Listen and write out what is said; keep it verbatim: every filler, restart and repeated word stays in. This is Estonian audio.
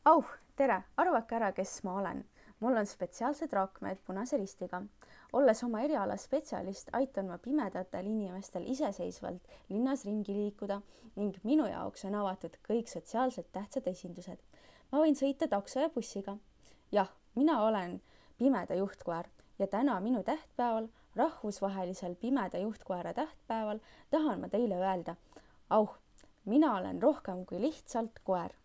Auh, tere, arvake ära, kes ma olen. Mul on spetsiaalsed raakmed punase ristiga. Olles oma eriala spetsialist, aitan ma pimedatel inimestel iseseisvalt linnas ringi liikuda ning minu jaoks on avatud kõik sotsiaalselt tähtsad esindused. Ma võin sõita takso ja bussiga. Jah, mina olen pimeda juhtkoer ja täna minu tähtpäeval, rahvusvahelisel pimeda juhtkoera tähtpäeval, tahan ma teile öelda, auh, mina olen rohkem kui lihtsalt koer.